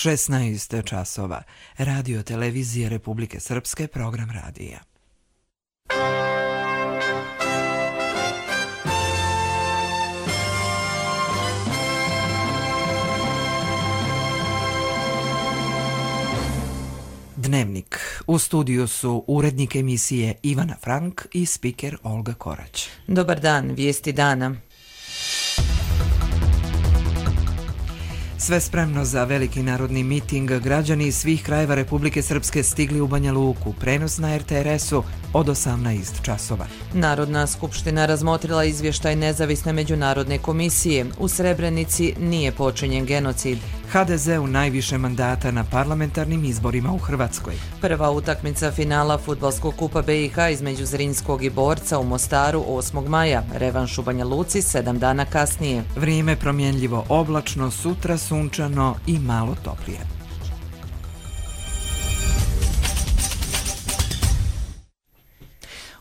16 časova. Radio televizije Republike Srpske, program radija. Dnevnik. U studiju su urednik emisije Ivana Frank i spiker Olga Korać. Dobar dan, vijesti dana. Sve spremno za veliki narodni miting. Građani iz svih krajeva Republike Srpske stigli u Banja Luku. Prenos na RTRS-u od 18 časova. Narodna skupština razmotrila izvještaj nezavisne međunarodne komisije. U Srebrenici nije počinjen genocid. HDZ-u najviše mandata na parlamentarnim izborima u Hrvatskoj. Prva utakmica finala Fudbalskog kupa BiH između Zrinskog i Borca u Mostaru 8. maja. Revanš u Banja Luci 7 dana kasnije. Vrijeme promjenljivo oblačno, sutra sunčano i malo toplije.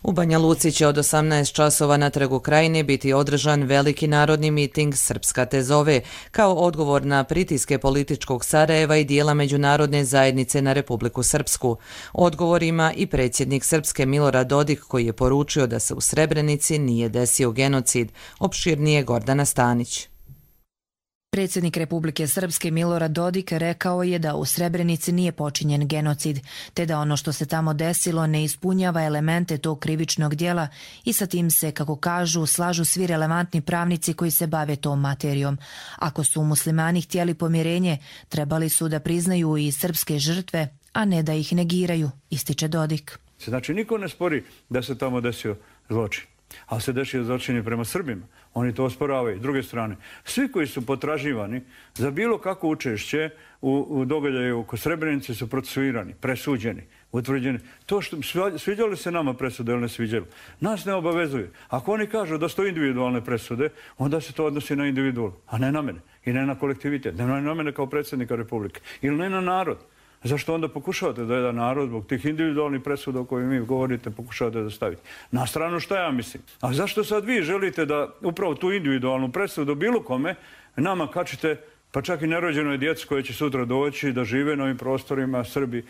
U Banja Luci će od 18 časova na Trgu Krajine biti održan veliki narodni miting Srpska te zove, kao odgovor na pritiske političkog Sarajeva i dijela međunarodne zajednice na Republiku Srpsku. Odgovor ima i predsjednik Srpske Milorad Dodik, koji je poručio da se u Srebrenici nije desio genocid. Opširnije Gordana Stanić. Predsjednik Republike Srpske Milorad Dodik rekao je da u Srebrenici nije počinjen genocid, te da ono što se tamo desilo ne ispunjava elemente tog krivičnog djela i sa tim se, kako kažu, slažu svi relevantni pravnici koji se bave tom materijom. Ako su muslimani htjeli pomirenje, trebali su da priznaju i srpske žrtve, a ne da ih negiraju, ističe Dodik. Znači, niko ne spori da se tamo desio zločin, ali se desio zločin prema Srbima. Oni to osporavaju. S druge strane, svi koji su potraživani za bilo kakvo učešće u događaju oko Srebrenice su procesuirani, presuđeni, utvrđeni. To što sviđalo se nama presude ili ne sviđalo, nas ne obavezuje. Ako oni kažu da su to individualne presude, onda se to odnosi na individual, a ne na mene i ne na kolektivitet, ne na mene kao predsjednika Republike ili ne na narod. Zašto onda pokušavate da jedan narod zbog tih individualnih presuda o kojima mi govorite pokušavate da stavite? Na stranu šta ja mislim? A zašto sad vi želite da upravo tu individualnu presudu bilo kome nama kačite, pa čak i nerođenoj djeci koje će sutra doći da žive na ovim prostorima, Srbi,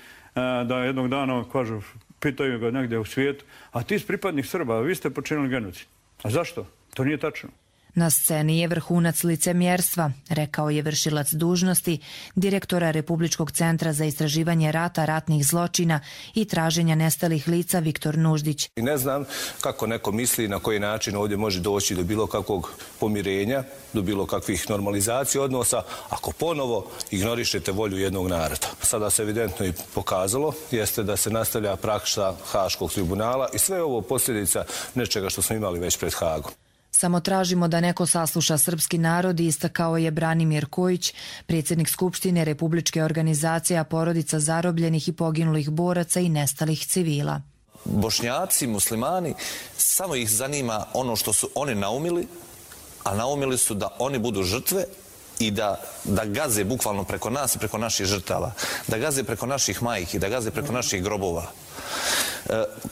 da jednog dana, kažu, pitaju ga negdje u svijetu, a ti si pripadnik Srba, vi ste počinili genocid. A zašto? To nije tačno. Na sceni je vrhunac licemjerstva, rekao je vršilac dužnosti direktora Republičkog centra za istraživanje rata, ratnih zločina i traženja nestalih lica Viktor Nuždić. I ne znam kako neko misli na koji način ovdje može doći do bilo kakvog pomirenja, do bilo kakvih normalizacija odnosa, ako ponovo ignorišete volju jednog naroda. Sada se evidentno i pokazalo jeste da se nastavlja praksa Haškog tribunala i sve ovo posljedica nečega što smo imali već pred Hagom. Samo tražimo da neko sasluša srpski narod, istakao je Branimir Kojić, predsjednik Skupštine Republičke organizacije porodica zarobljenih i poginulih boraca i nestalih civila. Bošnjaci, muslimani, samo ih zanima ono što su oni naumili, a naumili su da oni budu žrtve i da gaze bukvalno preko nas i preko naših žrtava, da gaze preko naših majki, da gaze preko naših grobova.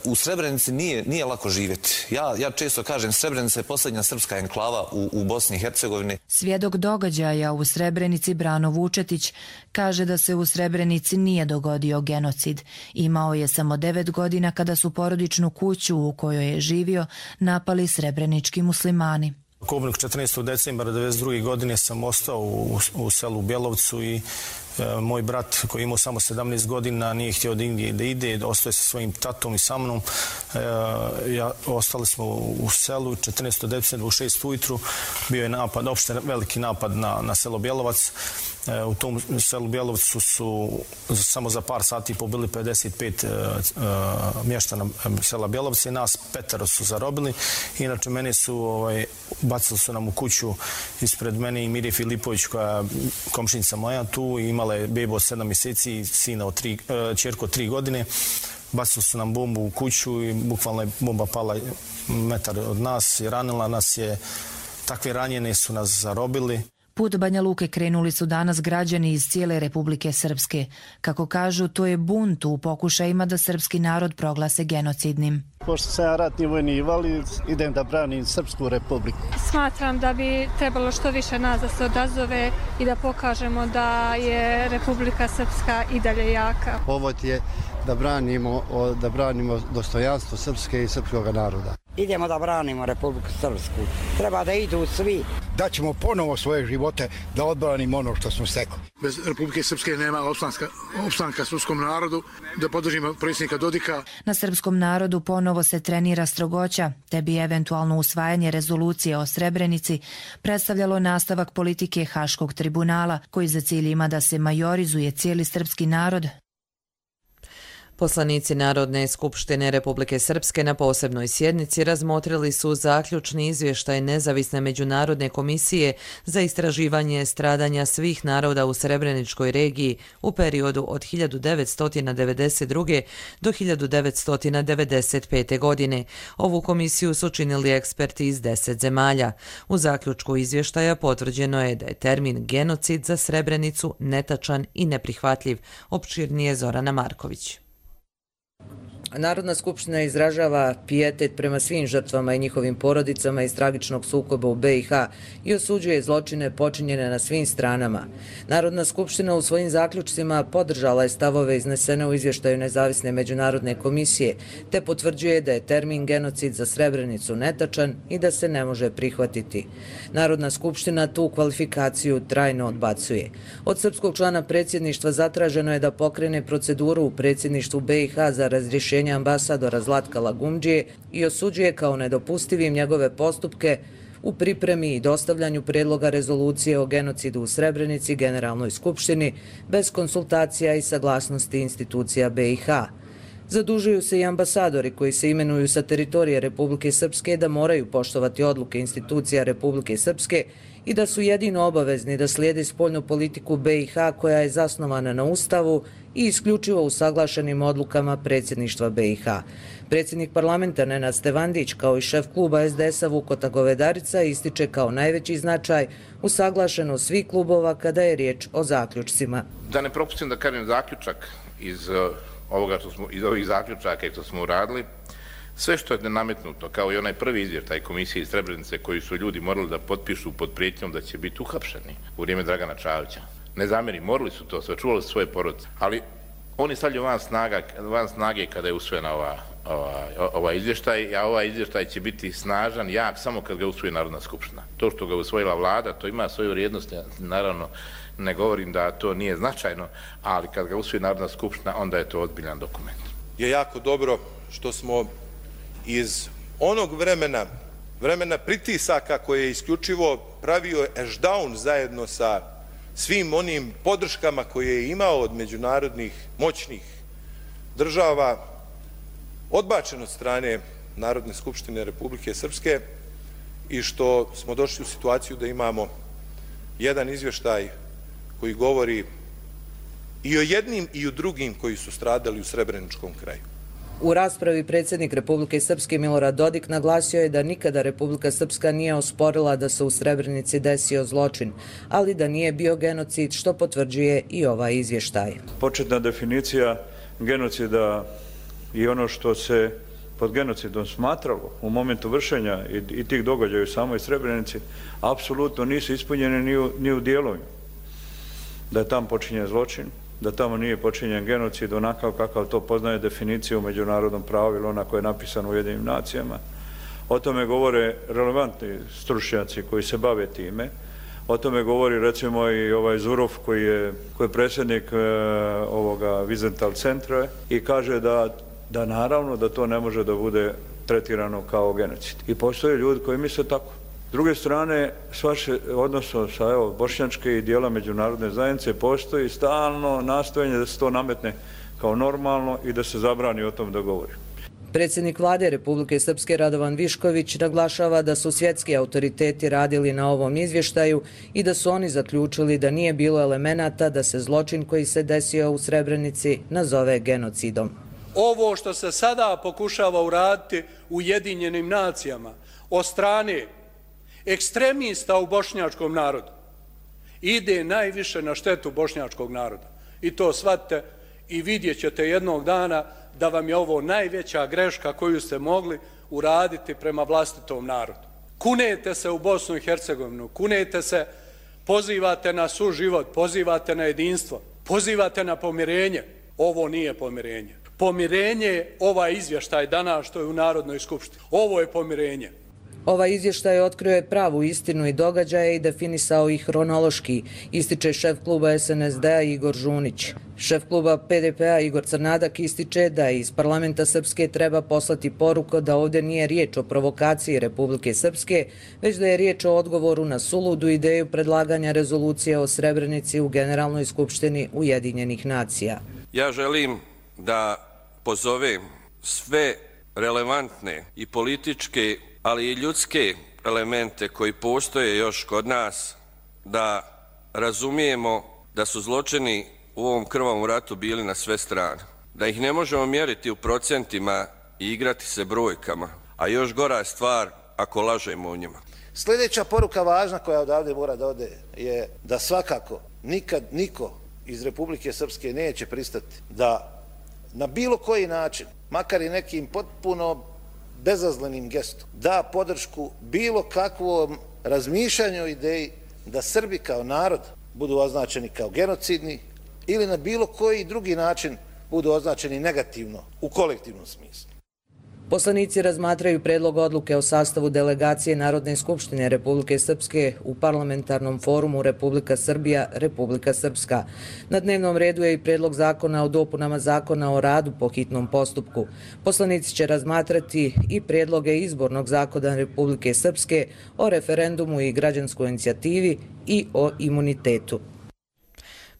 U Srebrenici nije lako živjeti. Ja često kažem, Srebrenica je posljednja srpska enklava u Bosni i Hercegovini. Svjedok događaja u Srebrenici Brano Vučetić kaže da se u Srebrenici nije dogodio genocid. Imao je samo 9 godina kada su porodičnu kuću u kojoj je živio napali srebrenički muslimani. Kobnik 14. decembra 1992. godine sam ostao u selu Bjelovcu i moj brat koji imao samo 17 godina nije htio da ide, ostao je sa svojim tatom i sa mnom. Ostali smo u selu 14. decembra u 6 ujutru. Bio je napad, opšte veliki napad na selo Bjelovac. U tom selu Bjelovcu su samo za par sati pobili 55 mještana sela Bjelovca i nas 5 su zarobili. Inače, mene su bacili su nam u kuću ispred mene i Mirje Filipović, koja je komšinica moja tu, i imala je bebu od 7 mjeseci i sina ćerku od 3 godine. Bacili su nam bombu u kuću i bukvalno je bomba pala metar od nas i ranila nas je. Takve ranjene su nas zarobili. Put Banja Luke krenuli su danas građani iz cijele Republike Srpske. Kako kažu, to je bunt u pokušajima da srpski narod proglase genocidnim. Pošto sam ja ratni vojni invalid, idem da branim Srpsku republiku. Smatram da bi trebalo što više nas da se odazove i da pokažemo da je Republika Srpska i dalje jaka. Povod je da branimo dostojanstvo Srpske i srpskog naroda. Idemo da branimo Republiku Srpsku. Treba da idu svi. Daćemo ponovo svoje živote da odbranimo ono što smo stekli. Bez Republike Srpske nema opstanka srpskom narodu, da podržimo predsjednika Dodika. Na srpskom narodu ponovo se trenira strogoća, te bi eventualno usvajanje rezolucije o Srebrenici predstavljalo nastavak politike Haškog tribunala, koji za cilj ima da se majorizuje cijeli srpski narod. Poslanici Narodne skupštine Republike Srpske na posebnoj sjednici razmotrili su zaključni izvještaj Nezavisne međunarodne komisije za istraživanje stradanja svih naroda u Srebreničkoj regiji u periodu od 1992. do 1995. godine. Ovu komisiju su činili eksperti iz 10 zemalja. U zaključku izvještaja potvrđeno je da je termin genocid za Srebrenicu netačan i neprihvatljiv. Opširnije Zorana Marković. Narodna skupština izražava pijetet prema svim žrtvama i njihovim porodicama iz tragičnog sukoba u BiH i osuđuje zločine počinjene na svim stranama. Narodna skupština u svojim zaključcima podržala je stavove iznesene u izvještaju Nezavisne međunarodne komisije, te potvrđuje da je termin genocid za Srebrenicu netačan i da se ne može prihvatiti. Narodna skupština tu kvalifikaciju trajno odbacuje. Od srpskog člana predsjedništva zatraženo je da pokrene proceduru u predsjedništvu BiH za razrješenje ambasadora Zlatka Lagumdžije i osuđuje kao nedopustivim njegove postupke u pripremi i dostavljanju predloga rezolucije o genocidu u Srebrenici Generalnoj skupštini bez konsultacija i saglasnosti institucija BiH. Zadužuju se i ambasadori koji se imenuju sa teritorije Republike Srpske da moraju poštovati odluke institucija Republike Srpske i da su jedino obavezni da slijede spoljnu politiku BiH koja je zasnovana na Ustavu i isključivo usaglašenim odlukama predsjedništva BiH. Predsjednik parlamenta Nenad Stevandić kao i šef kluba SDS-a Vukota Govedarica ističe kao najveći značaj usaglašenost svih klubova kada je riječ o zaključcima. Da ne propustim da kažem zaključak iz ovih zaključaka što smo uradili, sve što je nametnuto, kao i onaj prvi izvještaj komisije iz Srebrenice koji su ljudi morali da potpišu pod prijetnjom da će biti uhapšeni u vrijeme Dragana Čavića. Ne zamjeri, morali su to, sačuvali svoje porodice, ali oni stavljaju van snage kada je usvojena ovaj izvještaj, a ovaj izvještaj će biti snažan, jak, samo kad ga usvoji Narodna skupština. To što ga usvojila vlada, to ima svoju vrijednost, naravno ne govorim da to nije značajno, ali kad ga usvoji Narodna skupština, onda je to ozbiljan dokument. Je jako dobro što smo iz onog vremena pritisaka koje je isključivo pravio Ashdown zajedno sa svim onim podrškama koje je imao od međunarodnih moćnih država, odbačen od strane Narodne skupštine Republike Srpske i što smo došli u situaciju da imamo jedan izvještaj koji govori i o jednim i o drugim koji su stradali u Srebreničkom kraju. U raspravi predsjednik Republike Srpske Milorad Dodik naglasio je da nikada Republika Srpska nije osporila da se u Srebrenici desio zločin, ali da nije bio genocid, što potvrđuje i ovaj izvještaj. Početna definicija genocida i ono što se pod genocidom smatralo u momentu vršenja i tih događaja u samoj Srebrenici apsolutno nisu ispunjene ni u dijelovima. Da je tam počinjen zločin, da tamo nije počinjen genocid onakav kakav to poznaje definiciju u međunarodnom pravu ili ona koja je napisana u Ujedinjenim nacijama. O tome govore relevantni stručnjaci koji se bave time. O tome govori recimo i ovaj Zurov koji je predsjednik ovoga Wiesenthal centra i kaže da naravno da to ne može da bude tretirano kao genocid. I postoje ljudi koji misle tako. S druge strane, odnosno sa bošnjačke i dijela međunarodne zajednice postoji stalno nastojanje da se to nametne kao normalno i da se zabrani o tom da govori. Predsjednik vlade Republike Srpske Radovan Višković naglašava da su svjetski autoriteti radili na ovom izvještaju i da su oni zaključili da nije bilo elemenata da se zločin koji se desio u Srebrenici nazove genocidom. Ovo što se sada pokušava uraditi u Ujedinjenim nacijama od strane ekstremista u bošnjačkom narodu ide najviše na štetu bošnjačkog naroda. I to shvatite i vidjet ćete jednog dana da vam je ovo najveća greška koju ste mogli uraditi prema vlastitom narodu. Kunete se u Bosnu i Hercegovinu, kunete se, pozivate na suživot, pozivate na jedinstvo, pozivate na pomirenje. Ovo nije pomirenje. Pomirenje je ovaj izvještaj danas što je u Narodnoj skupštini. Ovo je pomirenje. Ovaj izvještaj otkrio je pravu istinu i događaje i definisao ih hronološki, ističe šef kluba SNSD-a Igor Žunić. Šef kluba PDP-a Igor Crnadak ističe da iz parlamenta Srpske treba poslati poruku da ovdje nije riječ o provokaciji Republike Srpske, već da je riječ o odgovoru na suludu ideju predlaganja rezolucije o Srebrenici u Generalnoj skupštini Ujedinjenih nacija. Ja želim da pozovem sve relevantne i političke, ali i ljudske elemente koji postoje još kod nas, da razumijemo da su zločini u ovom krvavom ratu bili na sve strane. Da ih ne možemo mjeriti u procentima i igrati se brojkama, a još gora je stvar ako lažemo o njima. Sljedeća poruka važna koja odavde mora da ode je da svakako nikad niko iz Republike Srpske neće pristati da na bilo koji način, makar i nekim potpuno bezazlenim gestom, da podršku bilo kakvom razmišljanju ideji da Srbi kao narod budu označeni kao genocidni ili na bilo koji drugi način budu označeni negativno u kolektivnom smislu. Poslanici razmatraju predlog odluke o sastavu delegacije Narodne skupštine Republike Srpske u parlamentarnom forumu Republika Srbija, Republika Srpska. Na dnevnom redu je i predlog zakona o dopunama zakona o radu po hitnom postupku. Poslanici će razmatrati i predloge izbornog zakona Republike Srpske o referendumu i građanskoj inicijativi i o imunitetu.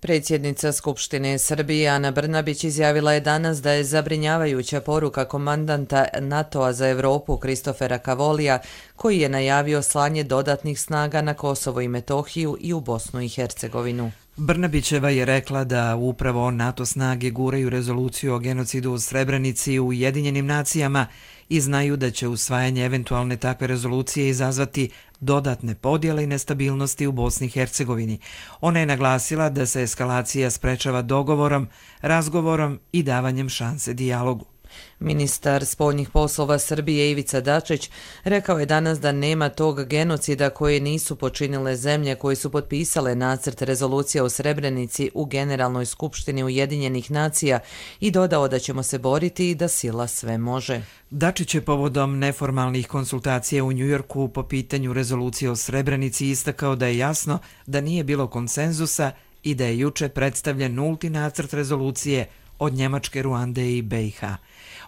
Predsjednica Skupštine Srbije Ana Brnabić izjavila je danas da je zabrinjavajuća poruka komandanta NATO-a za Evropu Kristofera Kavolija, koji je najavio slanje dodatnih snaga na Kosovo i Metohiju i u Bosnu i Hercegovinu. Brnabićeva je rekla da upravo NATO snage guraju rezoluciju o genocidu u Srebrenici u Ujedinjenim nacijama i znaju da će usvajanje eventualne takve rezolucije izazvati dodatne podjele i nestabilnosti u Bosni i Hercegovini. Ona je naglasila da se eskalacija sprečava dogovorom, razgovorom i davanjem šanse dijalogu. Ministar spoljnih poslova Srbije Ivica Dačić rekao je danas da nema tog genocida koje nisu počinile zemlje koje su potpisale nacrt rezolucije o Srebrenici u Generalnoj skupštini Ujedinjenih nacija i dodao da ćemo se boriti i da sila sve može. Dačić je povodom neformalnih konsultacija u Njujorku po pitanju rezolucije o Srebrenici istakao da je jasno da nije bilo konsenzusa i da je juče predstavljen nulti nacrt rezolucije od Njemačke, Ruande i BiH.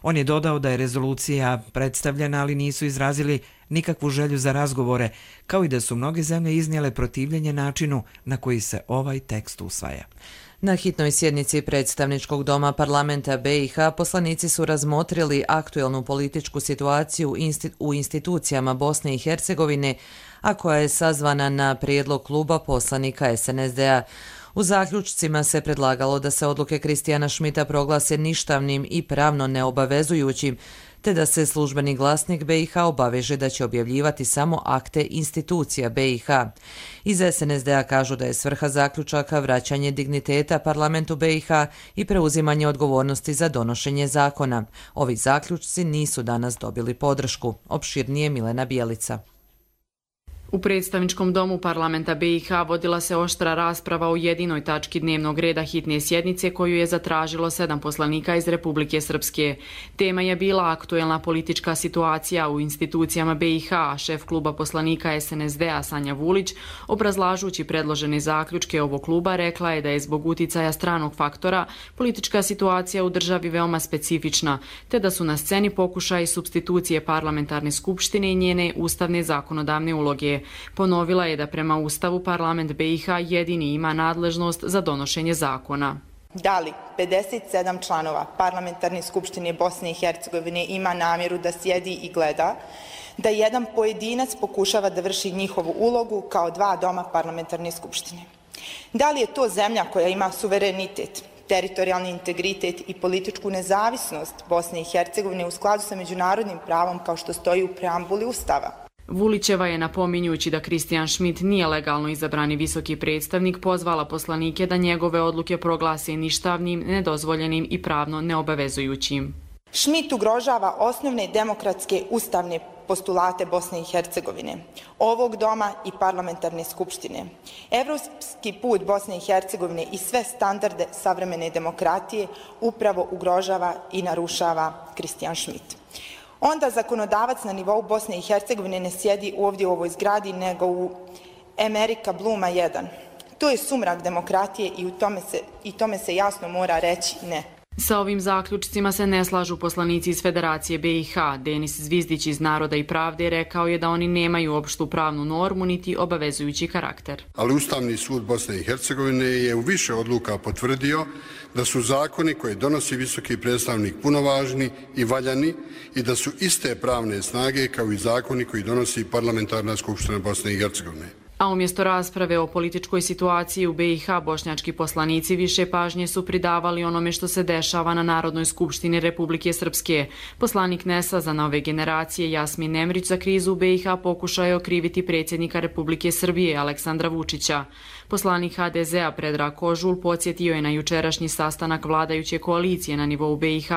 On je dodao da je rezolucija predstavljena, ali nisu izrazili nikakvu želju za razgovore, kao i da su mnoge zemlje iznijele protivljenje načinu na koji se ovaj tekst usvaja. Na hitnoj sjednici predstavničkog doma parlamenta BiH poslanici su razmotrili aktuelnu političku situaciju u institucijama Bosne i Hercegovine, a koja je sazvana na prijedlog kluba poslanika SNSD-a. U zaključcima se predlagalo da se odluke Kristijana Šmita proglase ništavnim i pravno neobavezujućim, te da se službeni glasnik BiH obaveže da će objavljivati samo akte institucija BiH. Iz SNSD-a kažu da je svrha zaključaka vraćanje digniteta parlamentu BiH i preuzimanje odgovornosti za donošenje zakona. Ovi zaključci nisu danas dobili podršku. Opširnije Milena Bijelica. U predstavničkom domu parlamenta BiH vodila se oštra rasprava o jedinoj tački dnevnog reda hitne sjednice koju je zatražilo 7 poslanika iz Republike Srpske. Tema je bila aktuelna politička situacija u institucijama BiH. Šef kluba poslanika SNSD-a Sanja Vulić, obrazlažući predložene zaključke ovog kluba, rekla je da je zbog uticaja stranog faktora politička situacija u državi veoma specifična, te da su na sceni pokušaji supstitucije parlamentarne skupštine i njene ustavne zakonodavne uloge. Ponovila je da prema Ustavu parlament BiH jedini ima nadležnost za donošenje zakona. Da li 57 članova parlamentarne skupštine Bosne i Hercegovine ima namjeru da sjedi i gleda da jedan pojedinac pokušava da vrši njihovu ulogu kao dva doma parlamentarne skupštine? Da li je to zemlja koja ima suverenitet, teritorijalni integritet i političku nezavisnost Bosne i Hercegovine u skladu sa međunarodnim pravom kao što stoji u preambuli Ustava? Vulićeva je, napominjući da Kristijan Šmit nije legalno izabrani visoki predstavnik, pozvala poslanike da njegove odluke proglase ništavnim, nedozvoljenim i pravno neobavezujućim. Šmit ugrožava osnovne demokratske ustavne postulate Bosne i Hercegovine, ovog doma i parlamentarne skupštine. Evropski put Bosne i Hercegovine i sve standarde savremene demokratije upravo ugrožava i narušava Kristijan Šmit. Onda zakonodavac na nivou Bosne i Hercegovine ne sjedi ovdje u ovoj zgradi, nego u Amerika Bluma 1. To je sumrak demokratije i tome se jasno mora reći ne. Sa ovim zaključcima se ne slažu poslanici iz Federacije BiH. Denis Zvizdić iz Naroda i pravde rekao je da oni nemaju opštu pravnu normu niti obavezujući karakter. Ali Ustavni sud Bosne i Hercegovine je u više odluka potvrdio da su zakoni koje donosi visoki predstavnik punovažni i valjani i da su iste pravne snage kao i zakoni koji donosi Parlamentarna skupština Bosne i Hercegovine. A umjesto rasprave o političkoj situaciji u BiH, bošnjački poslanici više pažnje su pridavali onome što se dešava na Narodnoj skupštini Republike Srpske. Poslanik NES-a za nove generacije Jasmin Nemrić za krizu u BiH pokušao je okriviti predsjednika Republike Srbije Aleksandra Vučića. Poslanik HDZ-a Predrag Kožul podsjetio je na jučerašnji sastanak vladajuće koalicije na nivou BiH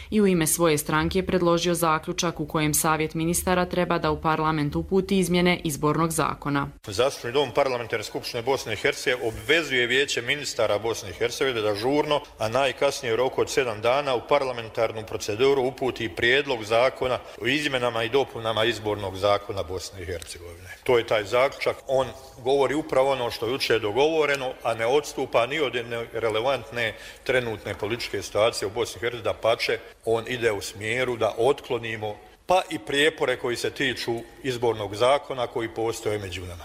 i u ime svoje stranke predložio zaključak u kojem Savjet ministara treba da u parlament uputi izmjene izbornog zakona. Zastupni dom Parlamentarne skupštine Bosne i Hercegovine obvezuje Vijeće ministara Bosne i Hercegovine da žurno, a najkasnije u roku od 7 dana u parlamentarnu proceduru uputi prijedlog zakona o izmjenama i dopunama izbornog zakona Bosne i Hercegovine. To je taj zaključak. On govori upravo ono što je jučer dogovoreno, a ne odstupa ni od relevantne trenutne političke situacije u Bosni i Hercegovini. Dapače, on ide u smjeru da otklonimo pa i prijepore koji se tiču izbornog zakona koji postoje među nama.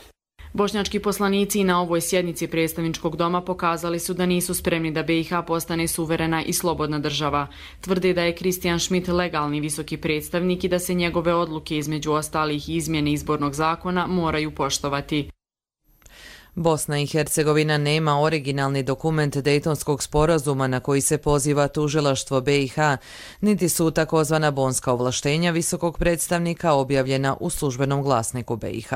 Bošnjački poslanici i na ovoj sjednici predstavničkog doma pokazali su da nisu spremni da BiH postane suverena i slobodna država. Tvrde da je Kristijan Šmit legalni visoki predstavnik i da se njegove odluke, između ostalih izmjene izbornog zakona, moraju poštovati. Bosna i Hercegovina nema originalni dokument Dejtonskog sporazuma na koji se poziva tužilaštvo BiH, niti su takozvana bonska ovlaštenja visokog predstavnika objavljena u službenom glasniku BiH.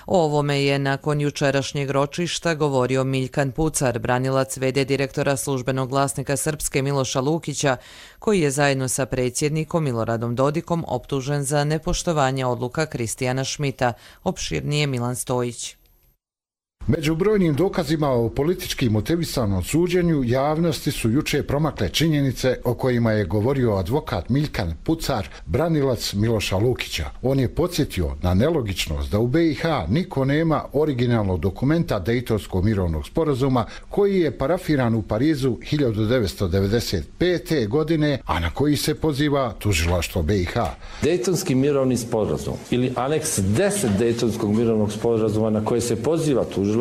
O ovome je nakon jučerašnjeg ročišta govorio Miljkan Pucar, branilac v.d. direktora službenog glasnika Srpske Miloša Lukića, koji je zajedno sa predsjednikom Miloradom Dodikom optužen za nepoštovanje odluka Kristijana Šmita. Opširnije Milan Stojić. Među brojnim dokazima o politički motivisanom suđenju javnosti su juče promakle činjenice o kojima je govorio advokat Miljkan Pucar, branilac Miloša Lukića. On je podsjetio na nelogičnost da u BiH niko nema originalnog dokumenta Dejtonskog mirovnog sporazuma koji je parafiran u Parizu 1995. godine, a na koji se poziva tužilaštvo BiH. Dejtonski mirovni sporazum ili aneks 10 Dejtonskog mirovnog sporazuma na koji se poziva tužilaštvo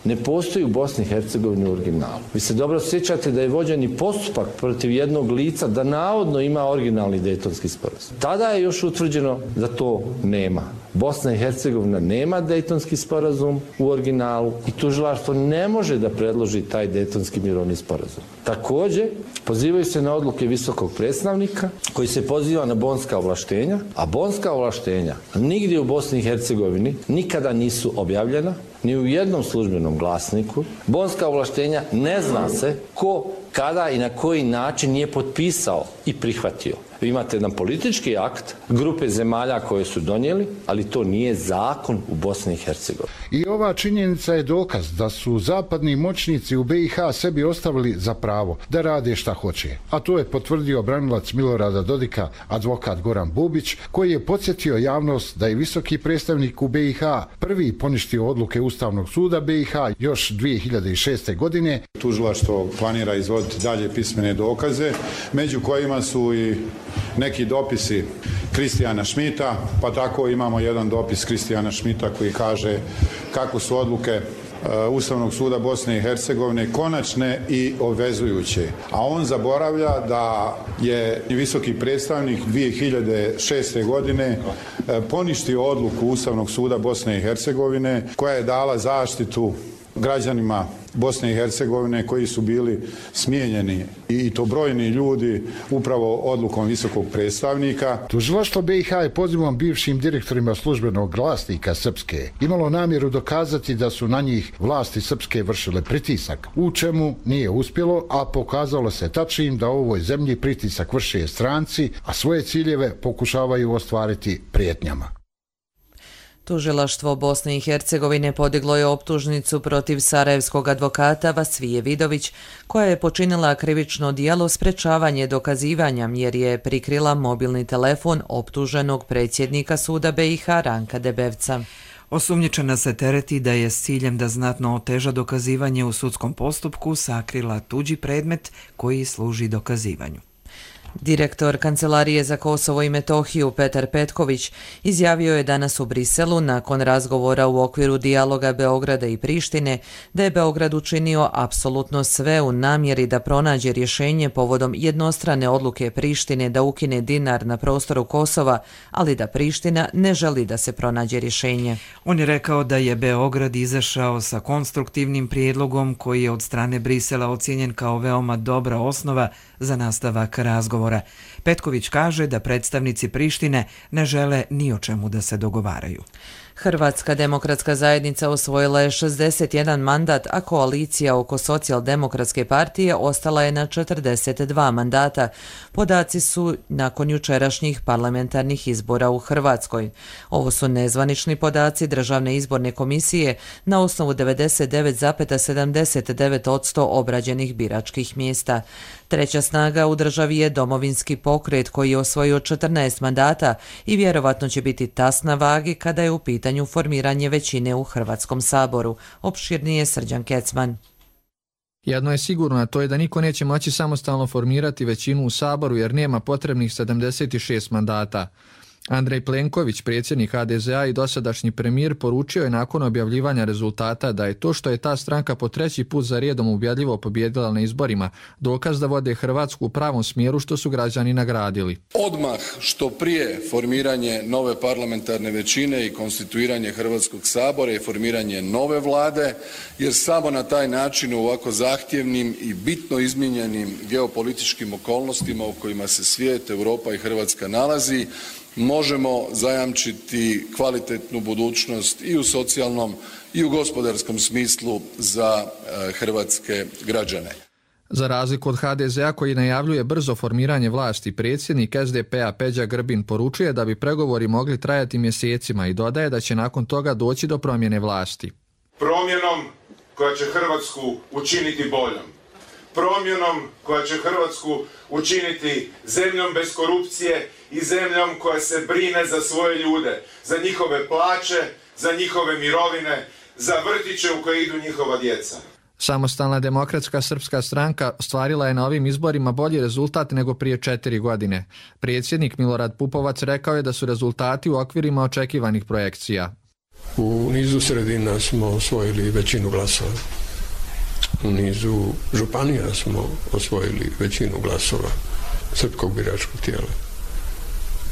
ne postoji u Bosni i Hercegovini u originalu. Vi se dobro sjećate da je vođen i postupak protiv jednog lica da navodno ima originalni Dejtonski sporazum. Tada je još utvrđeno da to nema. Bosna i Hercegovina nema Dejtonski sporazum u originalu i tužilaštvo ne može da predloži taj Dejtonski mirovni sporazum. Također, pozivaju se na odluke visokog predstavnika koji se poziva na bonska ovlaštenja, a bonska ovlaštenja nigdje u Bosni i Hercegovini nikada nisu objavljena, ni u jednom službenom glasniku. Bonska ovlaštenja ne zna se ko, kada i na koji način je potpisao i prihvatio. Vi imate jedan politički akt grupe zemalja koje su donijeli, ali to nije zakon u Bosni i Hercegovini. I ova činjenica je dokaz da su zapadni moćnici u BiH sebi ostavili za pravo da rade šta hoće. A to je potvrdio branilac Milorada Dodika, advokat Goran Bubić, koji je podsjetio javnost da je visoki predstavnik u BiH prvi poništio odluke Ustavnog suda BiH još 2006. godine. Tužilaštvo planira izvoditi dalje pismene dokaze, među kojima su i neki dopisi Kristijana Šmita, pa tako imamo jedan dopis Kristijana Šmita koji kaže kako su odluke Ustavnog suda Bosne i Hercegovine konačne i obvezujuće. A on zaboravlja da je visoki predstavnik 2006. godine poništio odluku Ustavnog suda Bosne i Hercegovine koja je dala zaštitu građanima Bosne i Hercegovine koji su bili smijenjeni i to brojni ljudi upravo odlukom visokog predstavnika. Tužilaštvo BiH je pozivom bivšim direktorima službenog glasnika Srpske imalo namjeru dokazati da su na njih vlasti Srpske vršile pritisak, u čemu nije uspjelo, a pokazalo se tačnim da u ovoj zemlji pritisak vrše stranci, a svoje ciljeve pokušavaju ostvariti prijetnjama. Tužilaštvo Bosne i Hercegovine podiglo je optužnicu protiv sarajevskog advokata Vasvije Vidović, koja je počinila krivično djelo sprečavanje dokazivanja jer je prikrila mobilni telefon optuženog predsjednika suda BiH Ranka Debevca. Osumnjičena se tereti da je s ciljem da znatno oteža dokazivanje u sudskom postupku sakrila tuđi predmet koji služi dokazivanju. Direktor Kancelarije za Kosovo i Metohiju Petar Petković izjavio je danas u Briselu nakon razgovora u okviru dijaloga Beograda i Prištine da je Beograd učinio apsolutno sve u namjeri da pronađe rješenje povodom jednostrane odluke Prištine da ukine dinar na prostoru Kosova, ali da Priština ne želi da se pronađe rješenje. On je rekao da je Beograd izašao sa konstruktivnim prijedlogom koji je od strane Brisela ocijenjen kao veoma dobra osnova za nastavak razgovora. Petković kaže da predstavnici Prištine ne žele ni o čemu da se dogovaraju. Hrvatska demokratska zajednica osvojila je 61 mandat, a koalicija oko socijaldemokratske partije ostala je na 42 mandata. Podaci su nakon jučerašnjih parlamentarnih izbora u Hrvatskoj. Ovo su nezvanični podaci Državne izborne komisije na osnovu 99,79% obrađenih biračkih mjesta. Treća snaga u državi je Domovinski pokret koji je osvojio 14 mandata i vjerovatno će biti tas na vagi kada je u pitanju formiranje većine u Hrvatskom saboru. Opširnije Srđan Kecman. Jedno je sigurno, a to je da niko neće moći samostalno formirati većinu u saboru jer nema potrebnih 76 mandata. Andrej Plenković, predsjednik HDZ-a i dosadašnji premijer, poručio je nakon objavljivanja rezultata da je to što je ta stranka po treći put za redom ubjedljivo pobjedila na izborima dokaz da vode Hrvatsku u pravom smjeru što su građani nagradili. Odmah što prije formiranje nove parlamentarne većine i konstituiranje Hrvatskog sabora i formiranje nove vlade, jer samo na taj način u ovako zahtjevnim i bitno izmijenjenim geopolitičkim okolnostima u kojima se svijet, Europa i Hrvatska nalazi, možemo zajamčiti kvalitetnu budućnost i u socijalnom i u gospodarskom smislu za hrvatske građane. Za razliku od HDZ-a koji najavljuje brzo formiranje vlasti, predsjednik SDP-a Peđa Grbin poručuje da bi pregovori mogli trajati mjesecima i dodaje da će nakon toga doći do promjene vlasti. Promjenom koja će Hrvatsku učiniti boljom. Promjenom koja će Hrvatsku učiniti zemljom bez korupcije i zemljom koja se brine za svoje ljude, za njihove plaće, za njihove mirovine, za vrtiće u koje idu njihova djeca. Samostalna demokratska srpska stranka ostvarila je na ovim izborima bolji rezultat nego prije 4 godine. Predsjednik Milorad Pupovac rekao je da su rezultati u okvirima očekivanih projekcija. U nizu sredina smo osvojili većinu glasova. U nizu županija smo osvojili većinu glasova srpskog biračkog tijela.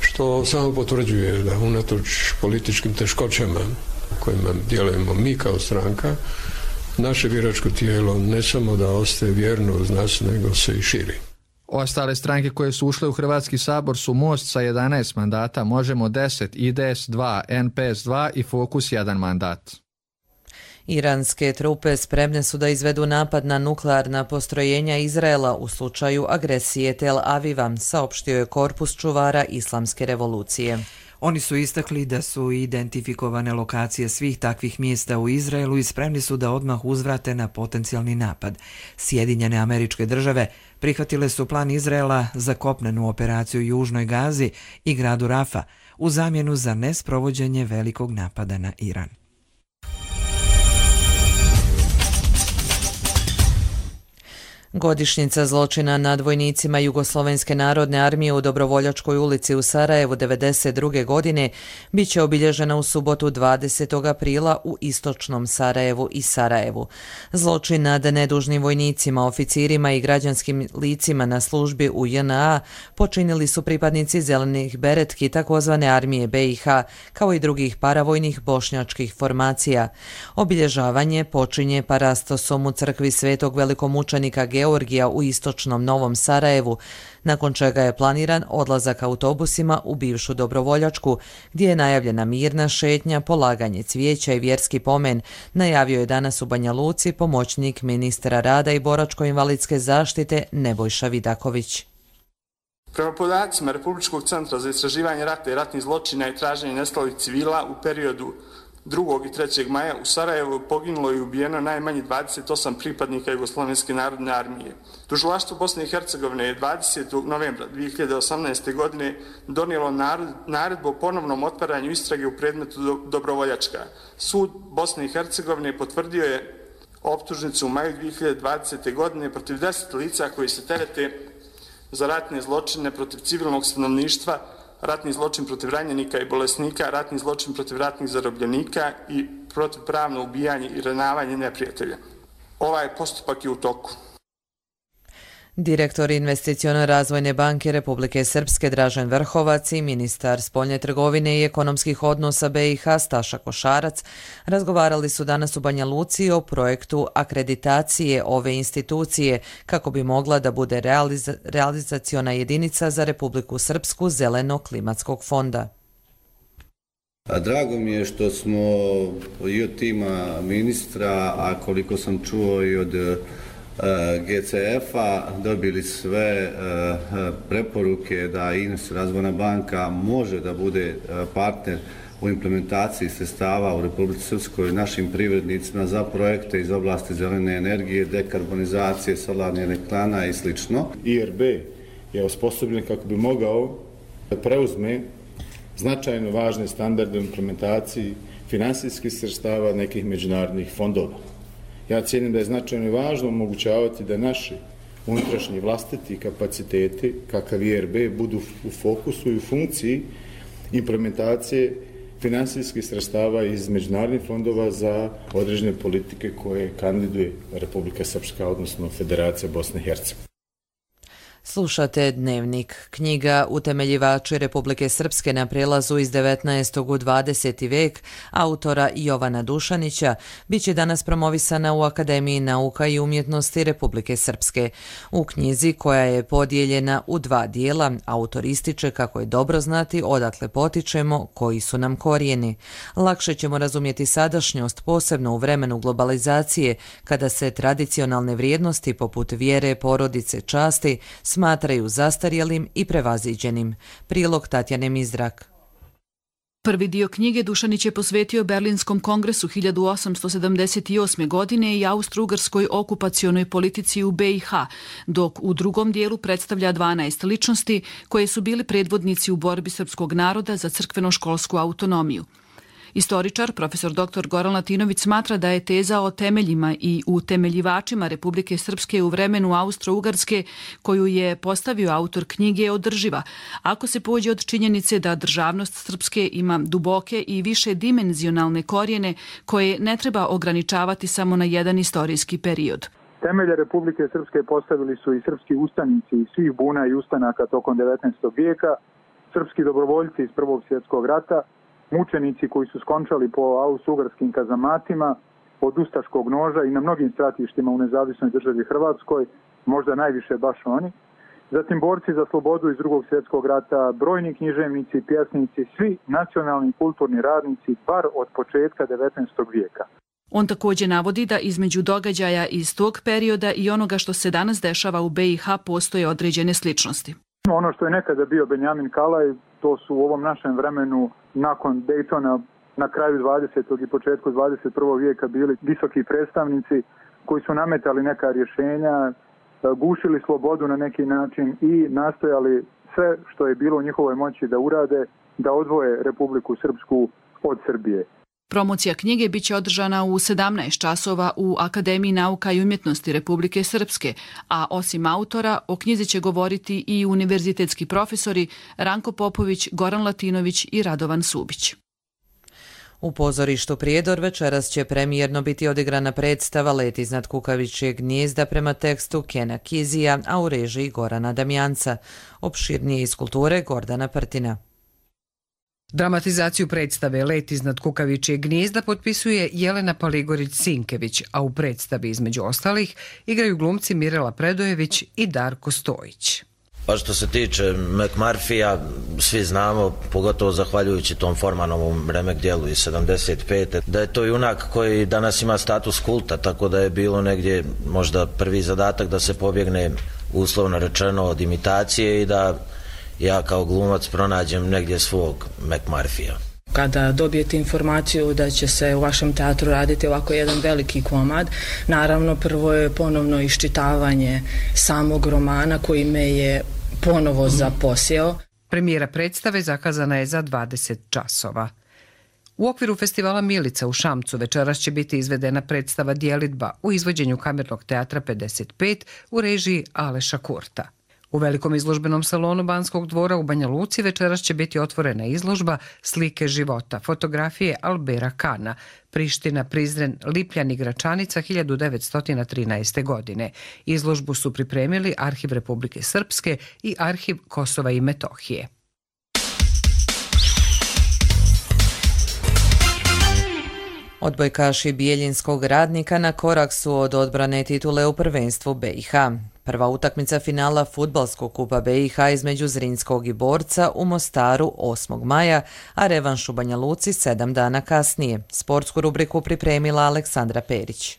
Što samo potvrđuje da unatoč političkim teškoćama kojima djelujemo mi kao stranka, naše biračko tijelo ne samo da ostaje vjerno uz nas, nego se i širi. Ostale stranke koje su ušle u Hrvatski sabor su Most sa 11 mandata, Možemo 10, IDS 2, NPS 2 i Fokus 1 mandat. Iranske trupe spremne su da izvedu napad na nuklearna postrojenja Izraela u slučaju agresije Tel Aviva, saopštio je Korpus čuvara Islamske revolucije. Oni su istakli da su identifikovane lokacije svih takvih mjesta u Izraelu i spremni su da odmah uzvrate na potencijalni napad. Sjedinjene Američke Države prihvatile su plan Izraela za kopnenu operaciju u Južnoj Gazi i gradu Rafa u zamjenu za nesprovođenje velikog napada na Iran. Godišnjica zločina nad vojnicima Jugoslovenske narodne armije u Dobrovoljačkoj ulici u Sarajevu 1992. godine bit će obilježena u subotu 20. aprila u istočnom Sarajevu i Sarajevu. Zločin nad nedužnim vojnicima, oficirima i građanskim licima na službi u JNA počinili su pripadnici zelenih beretki takozvane armije BiH, kao i drugih paravojnih bošnjačkih formacija. Obilježavanje počinje parastosom u crkvi Svetog velikomučenika Georgija u istočnom Novom Sarajevu, nakon čega je planiran odlazak autobusima u bivšu Dobrovoljačku, gdje je najavljena mirna šetnja, polaganje cvijeća i vjerski pomen, najavio je danas u Banja Luci pomoćnik ministra rada i boračko-invalidske zaštite Nebojša Vidaković. Prema podacima Republičkog centra za istraživanje rata i ratnih zločina i traženje nestalih civila u periodu 2. i 3. maja u Sarajevu poginulo i ubijeno najmanje 28 pripadnika Jugoslovenske narodne armije. Tužilaštvo Bosne i Hercegovine je 20. novembra 2018. godine donijelo naredbu o ponovnom otvaranju istrage u predmetu Dobrovoljačka. Sud Bosne i Hercegovine potvrdio je optužnicu u maju 2020. godine protiv 10 lica koji se terete za ratne zločine protiv civilnog stanovništva, ratni zločin protiv ranjenika i bolesnika, ratni zločin protiv ratnih zarobljenika i protivpravno ubijanje i ranavanje neprijatelja. Ovaj postupak je u toku. Direktor Investiciono-razvojne banke Republike Srpske Dražen Vrhovac i ministar spoljne trgovine i ekonomskih odnosa BiH Staša Košarac razgovarali su danas u Banja Luci o projektu akreditacije ove institucije kako bi mogla da bude realizaciona jedinica za Republiku Srpsku Zeleno-klimatskog fonda. Drago mi je što smo i od tima ministra, a koliko sam čuo i od GCF-a dobili sve preporuke da INS Razvojna banka može da bude partner u implementaciji sredstava u Republici Srpskoj našim privrednicima za projekte iz oblasti zelene energije, dekarbonizacije, solarnih elektrana i sl. IRB je osposobljen kako bi mogao da preuzme značajno važne standarde u implementaciji finansijskih sredstava nekih međunarodnih fondova. Ja cijenim da je značajno važno omogućavati da naši unutrašnji vlastiti kapaciteti, kakav IRB, budu u fokusu i u funkciji implementacije finansijskih sredstava iz međunarodnih fondova za određene politike koje kandiduje Republika Srpska, odnosno Federacija Bosne i Hercegovine. Slušate Dnevnik. Knjiga Utemeljivači Republike Srpske na prelazu iz 19. u 20. vek autora Jovana Dušanića biće danas promovisana u Akademiji nauka i umjetnosti Republike Srpske. U knjizi, koja je podijeljena u 2 dijela, autor ističe kako je dobro znati odakle potičemo, koji su nam korijeni. Lakše ćemo razumjeti sadašnjost, posebno u vremenu globalizacije, kada se tradicionalne vrijednosti poput vjere, porodice, časti smatraju zastarjelim i prevaziđenim. Prilog Tatjane Mizrak. Prvi dio knjige Dušanić je posvetio Berlinskom kongresu 1878. godine i austro-ugarskoj okupacionoj politici u BiH, dok u drugom dijelu predstavlja 12 ličnosti koje su bili predvodnici u borbi srpskog naroda za crkveno-školsku autonomiju. Istoričar, profesor dr. Goran Latinović, smatra da je teza o temeljima i utemeljivačima Republike Srpske u vremenu Austro-Ugarske, koju je postavio autor knjige, održiva, ako se pođe od činjenice da državnost Srpske ima duboke i više dimenzionalne korijene koje ne treba ograničavati samo na jedan istorijski period. Temelje Republike Srpske postavili su i srpski ustanici iz svih buna i ustanaka tokom 19. vijeka, srpski dobrovoljci iz Prvog svjetskog rata, mučenici koji su skončali po austro-ugarskim kazamatima, od ustaškog noža i na mnogim stratištima u nezavisnoj državi Hrvatskoj, možda najviše baš oni. Zatim borci za slobodu iz Drugog svjetskog rata, brojni književnici, pjesnici, svi nacionalni kulturni radnici, bar od početka 19. vijeka. On također navodi da između događaja iz tog perioda i onoga što se danas dešava u BiH postoje određene sličnosti. Ono što je nekada bio Benjamin Kalaj, to su u ovom našem vremenu nakon Daytona na kraju 20. i početku 21. vijeka bili visoki predstavnici koji su nametali neka rješenja, gušili slobodu na neki način i nastojali sve što je bilo u njihovoj moći da urade, da odvoje Republiku Srpsku od Srbije. Promocija knjige biće održana u 17 časova u Akademiji nauka i umjetnosti Republike Srpske, a osim autora o knjizi će govoriti i univerzitetski profesori Ranko Popović, Goran Latinović i Radovan Subić. U pozorištu Prijedor večeras će premijerno biti odigrana predstava Let iznad kukavičjeg gnijezda prema tekstu Kena Kizija, a u režiji Gorana Damjanca. Opširnije iz kulture Gordana Prtina. Dramatizaciju predstave Let iznad kukavičjeg gnijezda potpisuje Jelena Paligorić-Sinkević, a u predstavi između ostalih igraju glumci Mirela Predojević i Darko Stojić. Pa što se tiče McMurphyja, svi znamo, pogotovo zahvaljujući tom Formanovom remek dijelu iz 75. da je to junak koji danas ima status kulta, tako da je bilo negdje možda prvi zadatak da se pobjegne, uslovno rečeno, od imitacije i da ja kao glumac pronađem negdje svog McMurphyja. Kada dobijete informaciju da će se u vašem teatru raditi ovako jedan veliki komad, naravno prvo je ponovno iščitavanje samog romana koji me je ponovo zaposjeo. Premijera predstave zakazana je za 20 časova. U okviru festivala Milica u Šamcu večeras će biti izvedena predstava Djelidba u izvođenju Kamernog teatra 55 u režiji Aleša Kurta. U velikom izložbenom salonu Banskog dvora u Banja Luci večeras će biti otvorena izložba Slike života, fotografije Albera Kana, Priština, Prizren, Lipljan i Gračanica 1913. godine. Izložbu su pripremili Arhiv Republike Srpske i Arhiv Kosova i Metohije. Odbojkaši Bijeljinskog Radnika na korak su od odbrane titule u prvenstvu BiH. Prva utakmica finala Fudbalskog kupa BiH između Zrinskog i Borca u Mostaru 8. maja, a revanš u Banja Luci 7 dana kasnije. Sportsku rubriku pripremila Aleksandra Perić.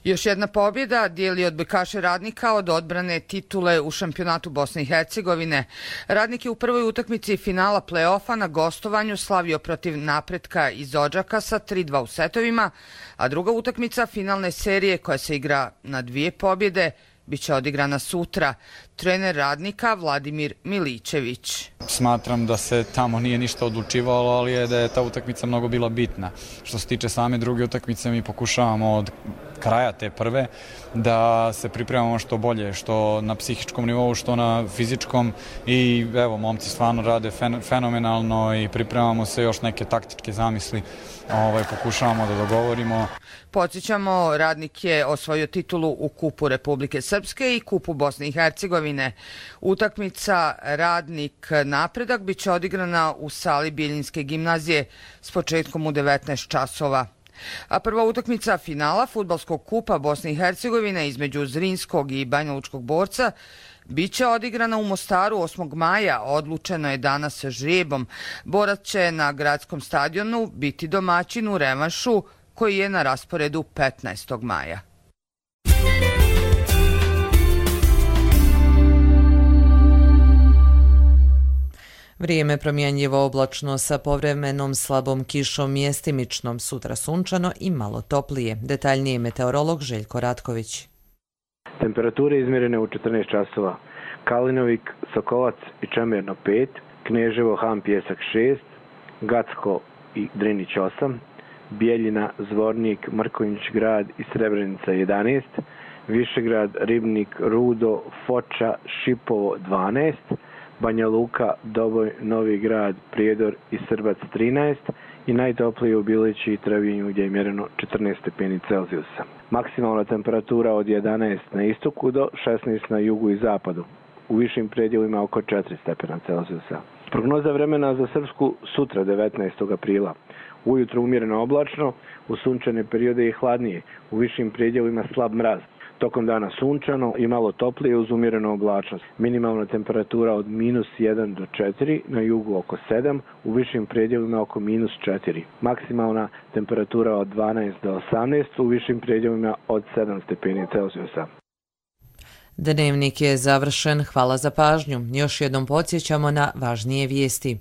Još jedna pobjeda dijeli odbojkaše Radnika od odbrane titule u šampionatu Bosne i Hercegovine. Radnik je u prvoj utakmici finala play-offa na gostovanju slavio protiv Napretka iz Odžaka sa 3-2 u setovima, a druga utakmica finalne serije koja se igra na 2 pobjede biće odigrana sutra. Trener Radnika Vladimir Miličević. Smatram da se tamo nije ništa odlučivalo, ali je da je ta utakmica mnogo bila bitna. Što se tiče same druge utakmice, mi pokušavamo od kraja te prve da se pripremamo što bolje, što na psihičkom nivou, što na fizičkom, i evo, momci stvarno rade fenomenalno i pripremamo se, još neke taktičke zamisli pokušavamo da dogovorimo. Podsjećamo, Radnik je osvojio titulu u Kupu Republike Srpske i Kupu Bosne i Hercegovine. Utakmica Radnik Napredak biće odigrana u sali Bijeljinske gimnazije s početkom u 19 časova. A prva utakmica finala Fudbalskog kupa Bosne i Hercegovine između Zrinskog i Banjalučkog Borca biće odigrana u Mostaru 8. maja, odlučeno je danas žrebom. Borac će na gradskom stadionu biti domaćin u revanšu koji je na rasporedu 15. maja. Vrijeme promjenjivo oblačno sa povremenom slabom kišom, mjestimičnom, sutra sunčano i malo toplije. Detaljnije meteorolog Željko Ratković. Temperature izmjerene u 14 časova. Kalinovik, Sokolac i Čemerno 5, Kneževo, Han, Pjesak 6, Gacko i Drinić 8, Bijeljina, Zvornik, Mrkonjić grad i Srebrenica 11, Višegrad, Ribnik, Rudo, Foča, Šipovo 12, Banja Luka, Doboj, Novi grad, Prijedor i Srbac 13 i najtoplije u Bilići i Trebinju gdje je mjereno 14 stepeni Celzijusa. Maksimalna temperatura od 11 na istoku do 16 na jugu i zapadu. U višim predjelima oko 4 stepena Celzijusa. Prognoza vremena za Srpsku sutra 19. aprila. Ujutro umjereno oblačno, u sunčane periode i hladnije, u višim predjelima slab mraz. Tokom dana sunčano i malo toplije uz umjerenu oblačnost. Minimalna temperatura od -1 do 4, na jugu oko 7, u višim predjelima oko -4. Maksimalna temperatura od 12 do 18, u višim predjelima od 7 stepeni Celzijusa. Dnevnik je završen, hvala za pažnju. Još jednom podsjećamo na važnije vijesti.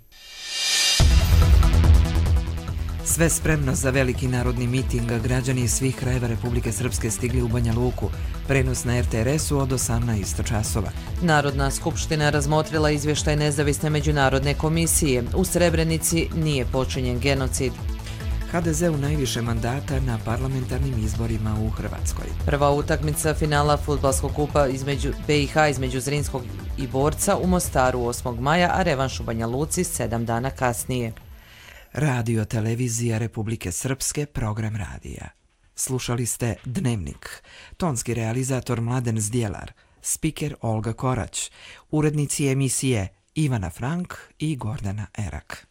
Sve spremno za veliki narodni miting, građani iz svih krajeva Republike Srpske stigli u Banja Luku. Prenos na RTRS-u od 18 časova. Narodna skupština razmotrila izvještaj nezavisne međunarodne komisije. U Srebrenici nije počinjen genocid. HDZ-u najviše mandata na parlamentarnim izborima u Hrvatskoj. Prva utakmica finala fudbalskog kupa između BiH između Zrinskog i Borca u Mostaru 8. maja, a revanš u Banja Luci 7 dana kasnije. Radio Televizija Republike Srpske, program radija. Slušali ste Dnevnik. Tonski realizator Mladen Zdjelar, spiker Olga Korać, urednici emisije Ivana Frank i Gordana Erak.